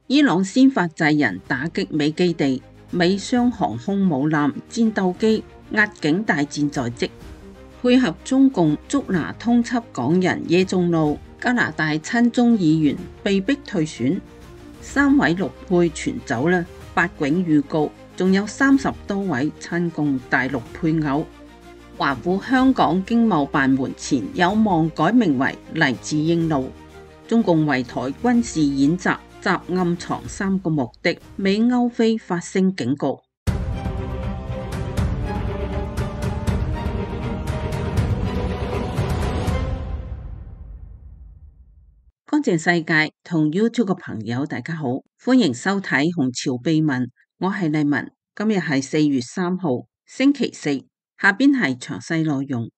伊朗先發制人打擊美基地，美雙航空母艦戰鬥機壓境大戰在即，配合中共捉拿通緝港人耶宗祿，加拿大親中議員被逼退選，3位陸配全走啦，8囧預告，仲有30多位親共大陸配偶。華府香港經貿辦門前有望改名為黎智英路。中共圍台軍事演習習暗藏3個目的，美歐菲發聲警告。乾淨世界同 YouTube 嘅朋友大家好，歡迎收睇紅潮秘聞，我係麗文，今日係4月3號星期四，下邊係詳細內容。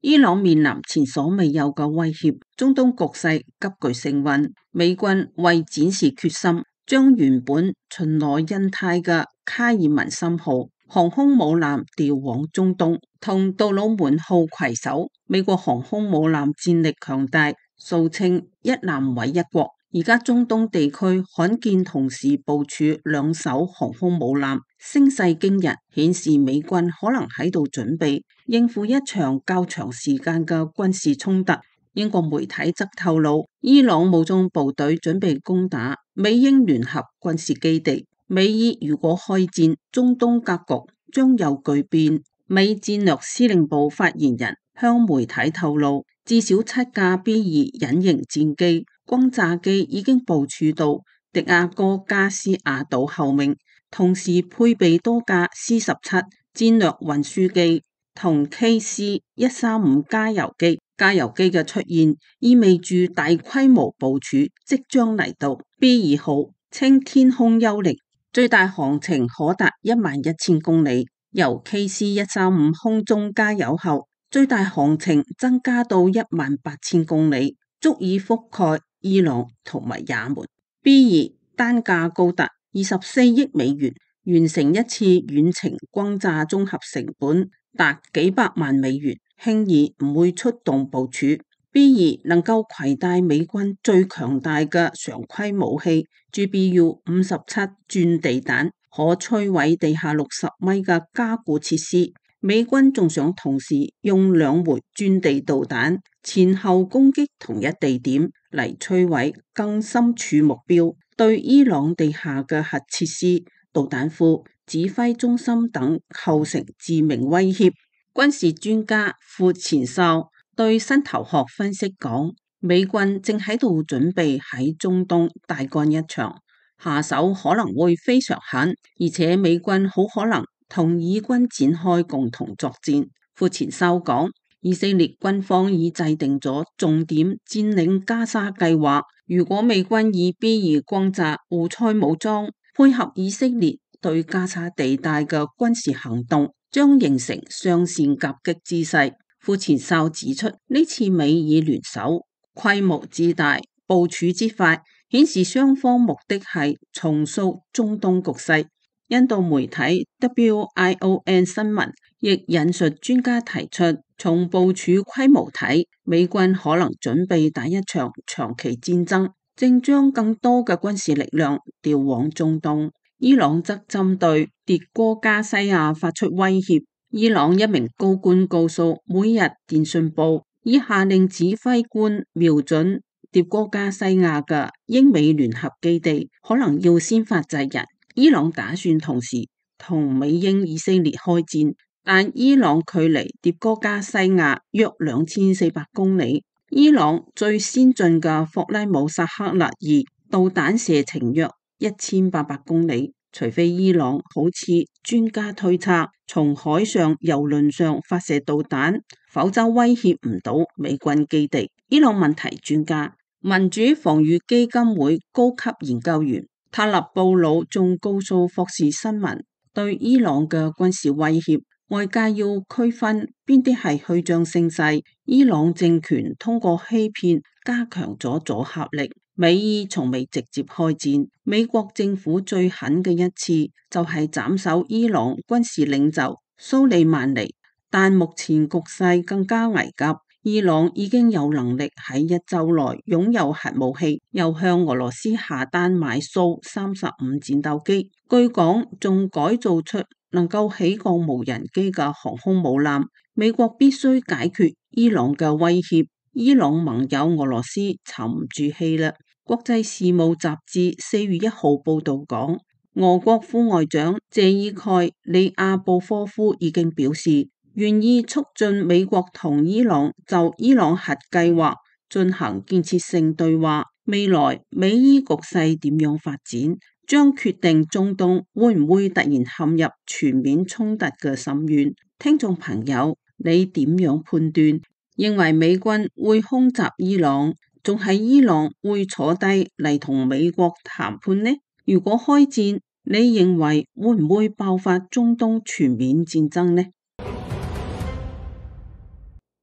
伊朗面臨前所未有嘅威脅，中東局勢急劇升溫，美軍為展示決心，將原本巡邏印太嘅卡爾文森號航空母艦調往中東，同杜魯門號攜手。美國航空母艦戰力強大，俗稱一艦毀一國。而家中東地區罕見同時部署2艘航空母艦，聲勢驚人，顯示美軍可能喺度準備應付一場較長時間嘅軍事衝突。英國媒體則透露，伊朗武裝部隊準備攻打美英聯合軍事基地，美伊如果開戰，中東格局將有巨變。美戰略司令部發言人向媒體透露，至少7架 B-2 隱形戰機、轟炸機已經部署到迪亞哥加斯亞島後面，同時配備多架 C-17 戰略運輸機同 KC-135 加油機。加油機嘅出現意味住大規模部署即將嚟到。B-2 號稱天空幽靈，最大航程可達11000公里。由 KC-135 空中加油後，最大航程增加到18000公里，足以覆蓋伊朗同埋也門。B-2 單價高達24億美元，完成一次遠程轟炸綜合成本達幾百萬美元，輕易唔會出動部署。B-2 能夠攜帶美軍最強大嘅常規武器 GBU-57 鑽地彈，可摧毀地下60米嘅加固設施。美軍仲想同時用2枚鑽地導彈前後攻擊同一地點嚟摧毀更深處目標，對伊朗地下嘅核設施、導彈庫、指揮中心等構成致命威脅。軍事專家傅前哨對新頭殼分析講，美軍正喺度準備喺中東大幹一場，下手可能會非常狠，而且美軍好可能同以軍展開共同作戰。傅前哨講，以色列軍方已制定咗重點佔領加沙計劃，如果美軍以 B-2 轟炸胡塞武裝，配合以色列對加沙地帶嘅軍事行動，將形成雙線夾擊姿勢。傅前哨指出，呢次美以聯手，規模之大，部署之快，顯示雙方目的係重塑中東局勢。印度媒體 WION 新聞亦引述專家提出，從部署規模睇，美軍可能準備打一場長期戰爭，正將更多嘅軍事力量調往中東。伊朗則針對迭戈加西亞發出威脅。伊朗一名高官告訴每日電訊報，已下令指揮官瞄準迭戈加西亞嘅英美聯合基地，可能要先發制人。伊朗打算同時同美英以色列開戰，但伊朗距離迭戈加西亞約2400公里。伊朗最先進嘅霍拉姆薩克勒2導彈射程約1800公里。除非伊朗好似專家推測，從海上、郵輪上發射導彈，否則威脅唔到美軍基地。伊朗問題專家、民主防禦基金會高級研究員塔勒布魯仲告訴霍士新聞，對伊朗嘅軍事威脅，外界要區分邊啲係虛張聲勢。伊朗政權通過欺騙加強咗阻嚇力。美伊從未直接開戰，美國政府最狠嘅一次就係斬首伊朗軍事領袖蘇利曼尼，但目前局勢更加危急。伊朗已經有能力喺一週內擁有核武器，又向俄羅斯下單買蘇35戰鬥機，據講仲改造出能夠起降無人機嘅航空母艦。美國必須解決伊朗嘅威脅，伊朗盟友俄羅斯沉唔住氣啦。國際事務雜誌4月1號報道講，俄國副外長謝爾蓋里亞布科夫已經表示，願意促進美國同伊朗就伊朗核計劃進行建設性對話。未來美伊局勢點樣發展，將決定中東會唔會突然陷入全面衝突嘅深淵。聽眾朋友，你點樣判斷？認為美軍會空襲伊朗，仲係伊朗會坐低嚟同美國談判呢？如果開戰，你認為會唔會爆發中東全面戰爭呢？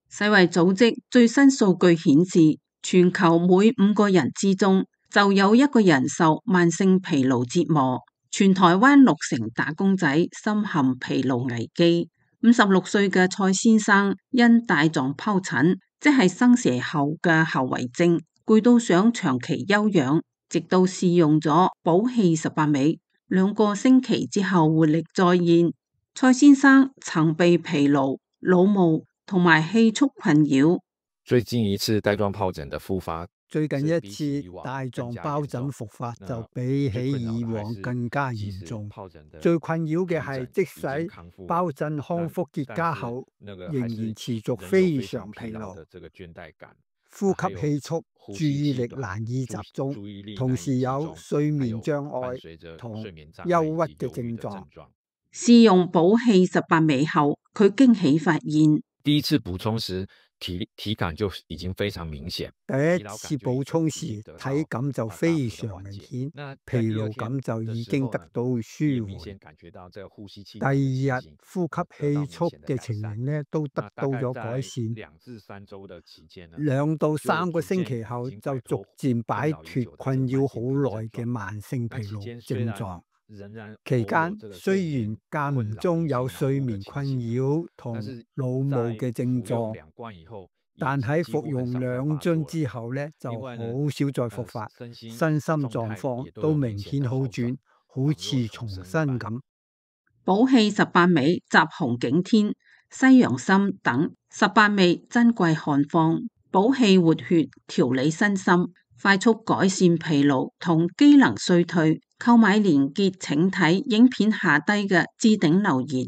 世衛組織最新數據顯示，全球每5個人之中就有1個人受慢性疲勞折磨。全台灣6成打工仔深陷疲勞危機。56歲嘅蔡先生因帶狀疱疹，即係生蛇後嘅後遺症，攰到想長期休養，直到試用咗補氣18味，2個星期之後活力再現。蔡先生曾被疲勞、腦霧同埋氣促困擾。最近一次帶狀疱疹的復發，最近一次帶狀疱疹復發就比起以往更加嚴重。最困擾嘅係，即使疱疹康復結痂後，仍然持續非常疲勞、呼吸氣促、注意力難以集中，同時有睡眠障礙同憂鬱嘅症狀。試用補氣18味後，佢驚喜發現，第一次補充時體感就已經非常明顯。第一次補充時體感就非常明顯，疲勞感就已經得到舒緩。第二日呼吸氣促嘅情形呢都得到咗改善。2到3個星期後就逐漸擺脫困擾好耐嘅慢性疲勞症狀。期間雖然間唔中有睡眠困擾同腦霧嘅症狀，但喺服用2樽之後呢，就好少再復發，身心狀況都明顯好轉，好似重新咁。補氣18味集紅景天、西洋參等18味珍貴漢方，補氣活血、調理身心，快速改善疲勞同機能衰退。購買連結請睇影片下低嘅置頂留言。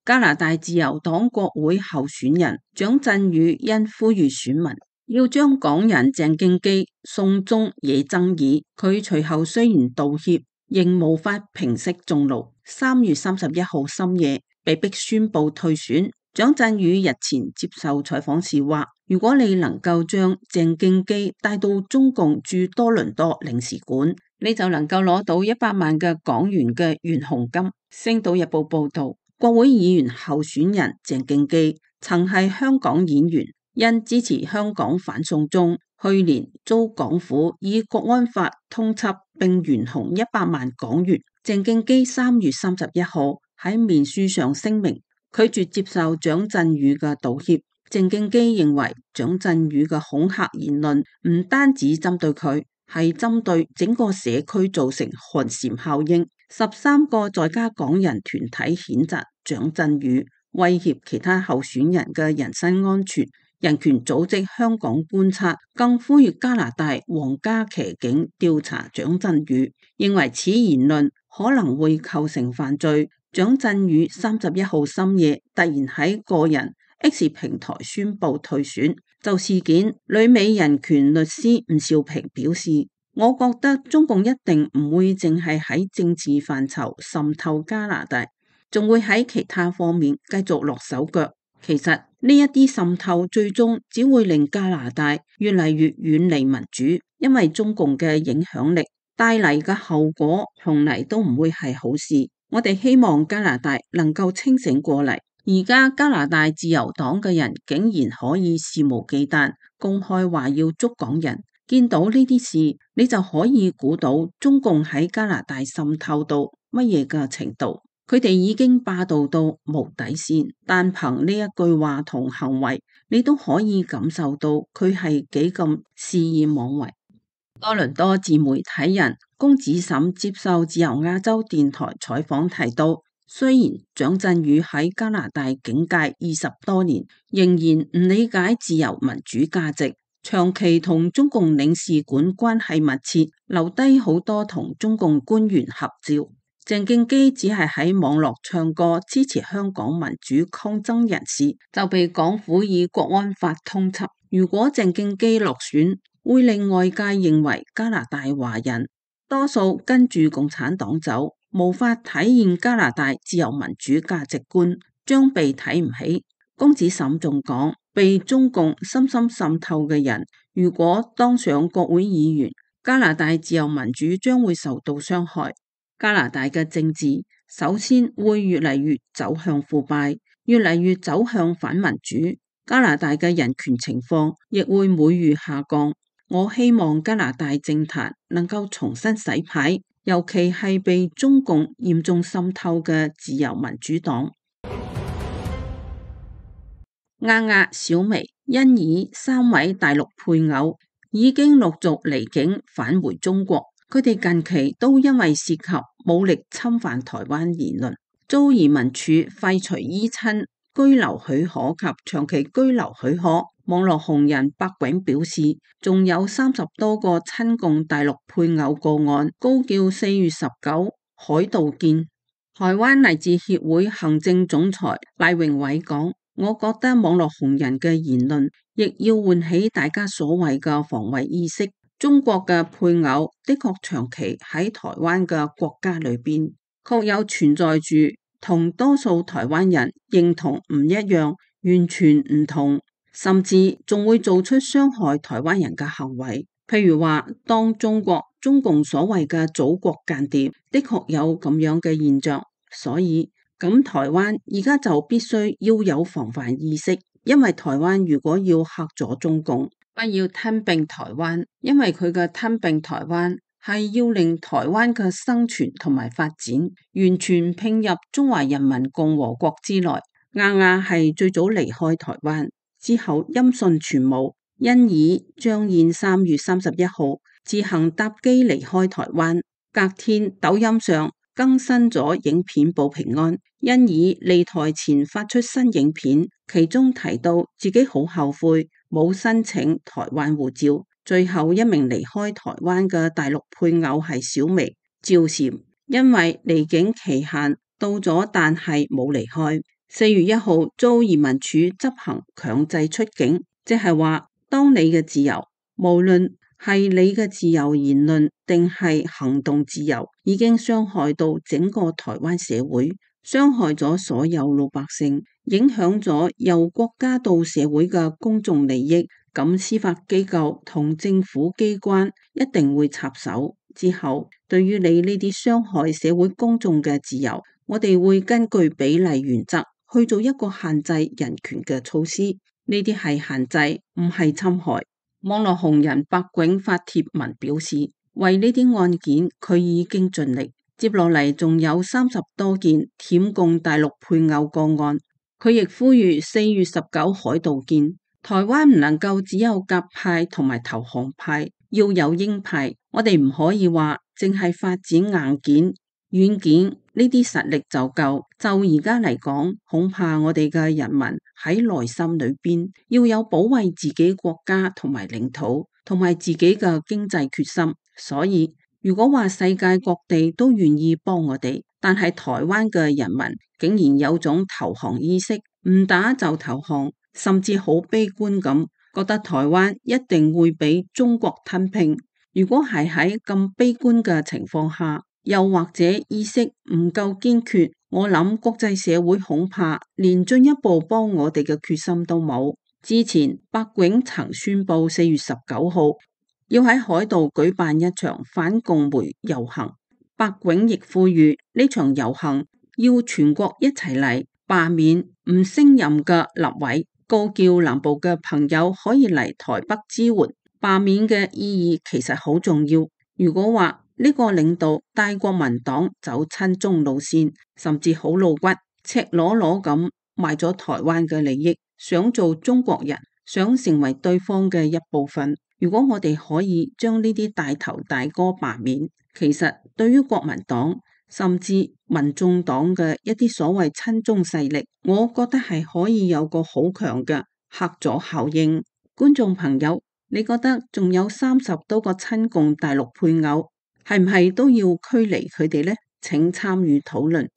加拿大自由黨國會候選人蔣振宇因呼籲選民要將港人鄭敬基送中惹爭議，佢隨後雖然道歉，仍無法平息眾怒。3月31號深夜被迫宣布退選。蔣振宇日前接受採訪時話，如果你能夠將鄭敬基帶到中共駐多倫多領事館，你就能夠攞到100萬嘅港元嘅懸紅金。星島日報報道，國會議員候選人鄭敬基曾係香港演員，因支持香港反送中，去年遭港府以國安法通緝並懸紅100萬港元。鄭敬基3月31號喺面書上聲明，拒絕接受蔣振宇嘅道歉。鄭敬基認為蔣振宇嘅恐嚇言論唔單止針對佢，係針對整個社區，造成寒蟬效應。13個在家港人團體譴責蔣振宇威脅其他候選人嘅人身安全。人權組織香港觀察更呼籲加拿大皇家騎警調查蔣振宇，認為此言論可能會構成犯罪。蔣振宇31號深夜突然喺個人 X 平台宣布退選。就事件，旅美人權律師吳兆平表示，我覺得中共一定唔會淨係喺政治範疇滲透加拿大，仲會喺其他方面繼續落手腳。其實呢一啲滲透最終只會令加拿大越嚟越遠離民主，因為中共嘅影響力帶嚟嘅後果從嚟都唔會係好事。我哋希望加拿大能夠清醒過嚟。而家加拿大自由黨嘅人竟然可以肆無忌憚公開話要捉港人，見到呢啲事，你就可以估到中共喺加拿大滲透到乜嘢嘅程度。佢哋已經霸道到無底線，但憑呢一句話同行為，你都可以感受到佢係幾咁肆意妄為。多倫多自媒體人龔子沈接受自由亞洲電台採訪提到，雖然蔣振宇喺加拿大警界20多年，仍然唔理解自由民主價值，長期同中共領事館關係密切，留低好多同中共官員合照。鄭敬基只係喺網絡唱歌支持香港民主抗爭人士，就被港府以國安法通緝。如果鄭敬基落選，會令外界認為加拿大華人多數跟住共產黨走，無法體現加拿大自由民主價值觀，將被睇唔起。龔子沈仲講，被中共深深滲透嘅人，如果當上國會議員，加拿大自由民主將會受到傷害。加拿大嘅政治首先會越嚟越走向腐敗，越嚟越走向反民主。加拿大嘅人權情況亦會每月下降。我希望加拿大政壇能夠重新洗牌，尤其係被中共嚴重滲透嘅自由民主黨。丫丫、小薇、欣宜3位大陸配偶已經陸續離境返回中國。佢哋近期都因為涉及武力侵犯台灣言論，遭移民署廢除依親居留許可及長期居留許可。網絡紅人白滾表示，仲有30多個親共大陸配偶個案，高叫4月19海道見。台灣勵志協會行政總裁賴榮偉講，我覺得網絡紅人嘅言論亦要喚起大家所謂嘅防衛意識。中國嘅配偶的確長期喺台灣嘅國家裏邊，確有存在住同多數台灣人認同唔一樣，完全唔同，甚至仲會做出傷害台灣人嘅行為。譬如話，當中共所謂嘅祖國間諜，的確有咁樣嘅現象。所以咁台灣而家就必須要有防範意識，因為台灣如果要嚇咗中共，不要吞併台灣，因為佢嘅吞併台灣係要令台灣嘅生存同埋發展完全併入中華人民共和國之內。丫丫係最早離開台灣，之後音訊全無。欣宜、張燕3月31號自行搭機離開台灣，隔天抖音上更新咗影片報平安。欣宜離台前發出新影片，其中提到自己好後悔冇申請台灣護照。最後一名離開台灣嘅大陸配偶係小薇趙嬋，因為離境期限到咗，但係冇離開。4月1號遭移民署執行強制出境，即係話當你嘅自由，無論係你嘅自由言論定係行動自由，已經傷害到整個台灣社會，傷害咗所有老百姓，影響咗由國家到社會嘅公眾利益，咁司法機構同政府機關一定會插手。之後，對於你呢啲傷害社會公眾嘅自由，我哋會根據比例原則去做一個限制人權嘅措施。呢啲係限制，唔係侵害。網絡紅人白滾發帖文表示，為呢啲案件佢已經盡力。接落嚟仲有30多件舔共大陸配偶個案，佢亦呼籲4月19海道見。台灣唔能夠只有鴿派同埋投降派，要有鷹派。我哋唔可以話淨係發展硬件、軟件呢啲實力就夠。就而家嚟講，恐怕我哋嘅人民喺內心裏邊要有保衛自己國家同埋領土，同埋自己嘅經濟決心。所以如果話世界各地都願意幫我哋，但係台灣嘅人民竟然有種投降意識，唔打就投降，甚至好悲觀咁，覺得台灣一定會俾中國吞併。如果係喺咁悲觀嘅情況下，又或者意識唔夠堅決，我諗國際社會恐怕連進一步幫我哋嘅決心都冇。之前白滾曾宣布4月19號要喺海道舉辦一場反共媒遊行，白滾亦呼籲呢場遊行要全國一齊嚟罷免唔升任嘅立委，告叫南部嘅朋友可以嚟台北支援。罷免嘅意義其實好重要。如果話呢個領導帶國民黨走親中路線，甚至好露骨、赤裸裸咁賣咗台灣嘅利益，想做中國人，想成為對方嘅一部分。如果我哋可以將呢啲大頭大哥罷免，其實對於國民黨甚至民眾黨嘅一啲所謂親中勢力，我覺得係可以有個好強嘅嚇阻效應。觀眾朋友，你覺得仲有30多個親共大陸配偶，係唔係都要驅離佢哋呢？請參與討論。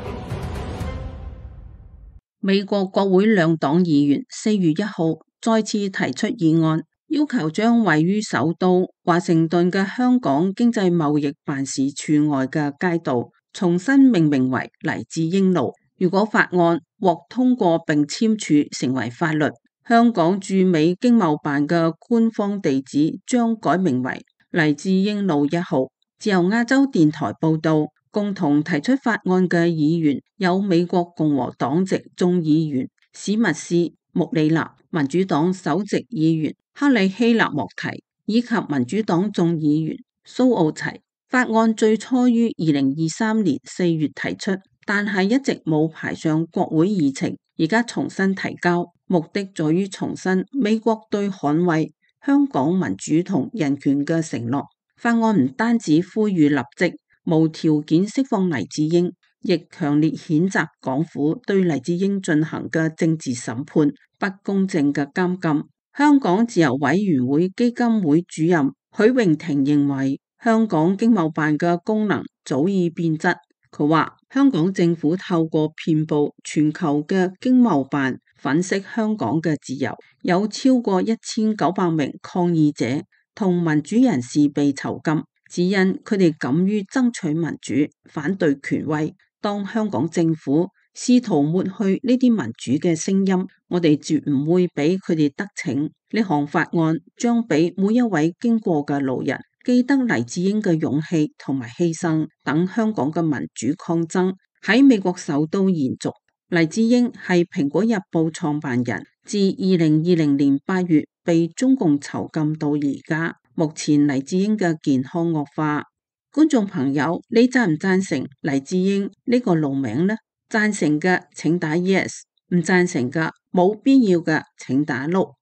美國國會兩黨議員4月1號再次提出議案，要求將位於首都華盛頓嘅香港經濟貿易辦事處外嘅街道重新命名為黎智英路。如果法案獲通過並簽署成為法律，香港駐美經貿辦嘅官方地址將改名為黎智英路1號。自由亞洲電台報道，共同提出法案嘅議員有美國共和黨籍眾議員史密斯、穆里納、民主黨首席議員克里希納莫提以及民主黨眾議員蘇奧齊。法案最初於2023年4月提出，但係一直冇排上國會議程，而家重新提交，目的在於重申美國對捍衛香港民主同人權嘅承諾。法案唔單止呼籲立即無條件釋放黎智英，亦強烈譴責港府對黎智英進行嘅政治審判、不公正嘅監禁。香港自由委員會基金會主任許榮庭認為，香港經貿辦嘅功能早已變質。佢話香港政府透過遍佈全球嘅經貿辦粉飾香港嘅自由，有超過1900名抗議者同民主人士被囚禁，只因佢哋敢於爭取民主，反對權威。當香港政府試圖抹去呢啲民主嘅聲音，我哋絕唔會俾佢哋得逞。呢項法案將俾每一位經過嘅路人記得黎智英嘅勇氣同埋犧牲，等香港嘅民主抗爭喺美國首都延續。黎智英係蘋果日報創辦人，自2020年8月被中共囚禁到而家。目前黎智英嘅健康惡化。觀眾朋友，你贊唔贊成黎智英呢個路名呢？贊成嘅請打 yes， 唔贊成嘅冇必要嘅請打 no。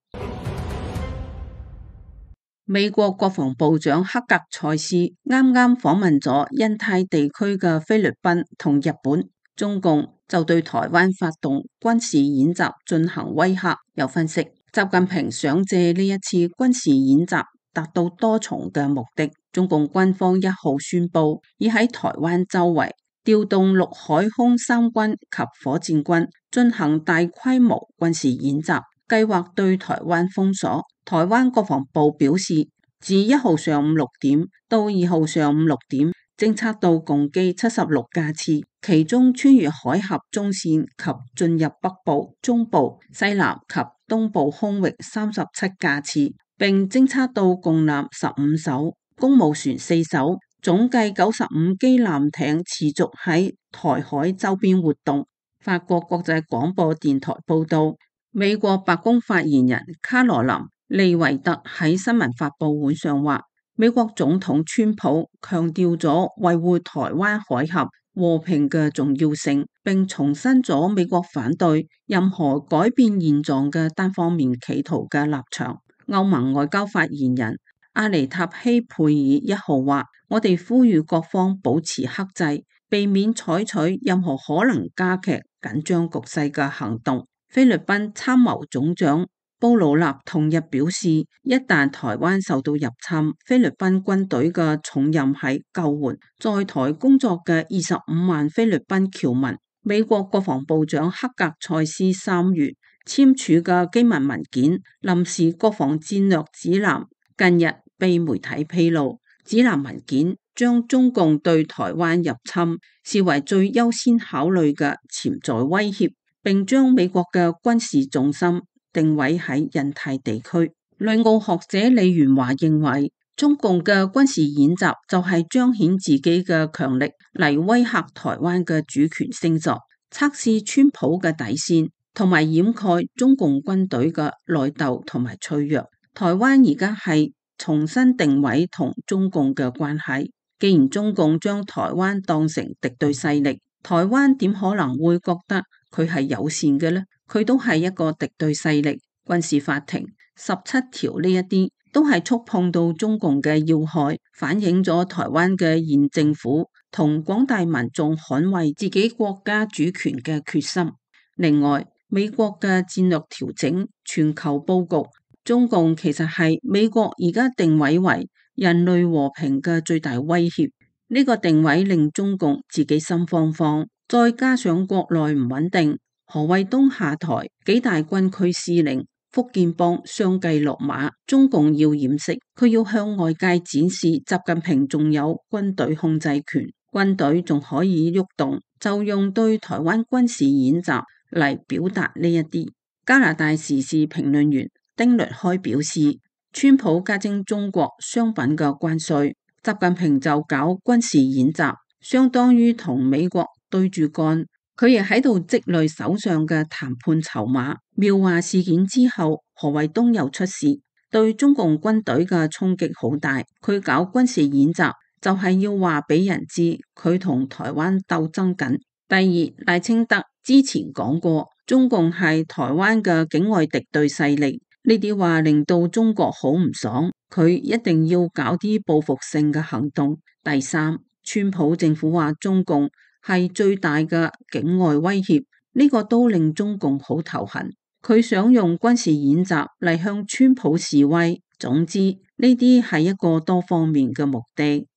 美國國防部長克格塞斯啱啱訪問咗印太地區嘅菲律賓同日本，中共就對台灣發動軍事演習進行威嚇。有分析，習近平想借呢一次軍事演習達到多重嘅目的。中共軍方1號宣布，已喺台灣周圍調動陸海空三軍及火箭軍進行大規模軍事演習，計劃對台灣封鎖。台灣國防部表示，自1號上午6點到2號上午6點，偵測到共機76架次，其中穿越海峽中線及進入北部、中部、西南及東部空域37架次，並偵測到共艦15艘、公務船4艘，總計95機艦艇持續喺台海周邊活動。法國國際廣播電台報道，美國白宮發言人卡羅琳·利維特喺新聞發佈會上話，美國總統川普強調咗維護台灣海峽和平嘅重要性，並重申咗美國反對任何改變現狀嘅單方面企圖嘅立場。歐盟外交發言人阿尼塔希佩爾1號話，我哋呼籲各方保持克制，避免採取任何可能加劇緊張局勢嘅行動。菲律賓參謀總長布魯納同日表示，一旦台灣受到入侵，菲律賓軍隊嘅重任係救援在台工作嘅25萬菲律賓僑民。美國國防部長克格塞斯3月簽署嘅機密文件臨時國防戰略指南近日被媒體披露，指南文件將中共對台灣入侵視為最優先考慮嘅潛在威脅，並將美國嘅軍事重心定位喺印太地區。旅澳學者李元華認為，中共嘅軍事演習就係彰顯自己嘅強力嚟威嚇台灣嘅主權聖座，測試川普嘅底線，同埋掩蓋中共軍隊嘅內鬥同埋脆弱。台灣而家係重新定位同中共嘅關係。既然中共將台灣當成敵對勢力，台灣點可能會覺得佢係友善嘅呢？佢都係一個敵對勢力。軍事法庭17條呢一啲都係觸碰到中共嘅要害，反映咗台灣嘅現政府同廣大民眾捍衛自己國家主權嘅決心。另外，美國嘅戰略調整、全球佈局，中共其實係美國而家定位為人類和平嘅最大威脅。呢個定位令中共自己心慌慌，再加上國內唔穩定，何衛東下台，幾大軍區司令福建幫相繼落馬，中共要掩飾，佢要向外界展示習近平仲有軍隊控制權，軍隊仲可以喐動，就用對台灣軍事演習嚟表達呢一啲。加拿大時事評論員丁律開表示，川普加徵中國商品嘅關稅，習近平就搞軍事演習，相當於同美國對住幹。佢亦喺度積累手上嘅談判籌碼。妙華事件之後，何衛東又出事，對中共軍隊嘅衝擊好大。佢搞軍事演習就係要話俾人知佢同台灣鬥爭緊。第二，賴清德之前講過，中共係台灣嘅境外敵對勢力，呢啲話令到中國好唔爽，佢一定要搞啲報復性嘅行動。第三，川普政府話中共係最大嘅境外威脅，呢個都令中共好頭痕。佢想用軍事演習嚟向川普示威。總之，呢啲係一個多方面嘅目的。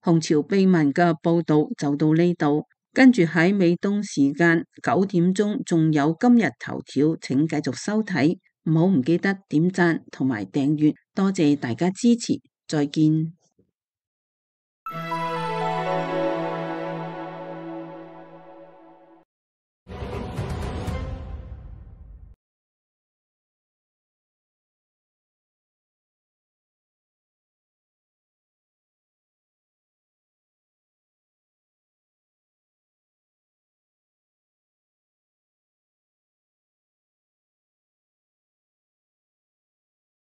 紅潮秘聞嘅報道就到呢度，跟住喺美東時間9點鐘仲有今日頭條，請繼續收睇，唔記得點讚同埋訂閱，多謝大家支持，再見。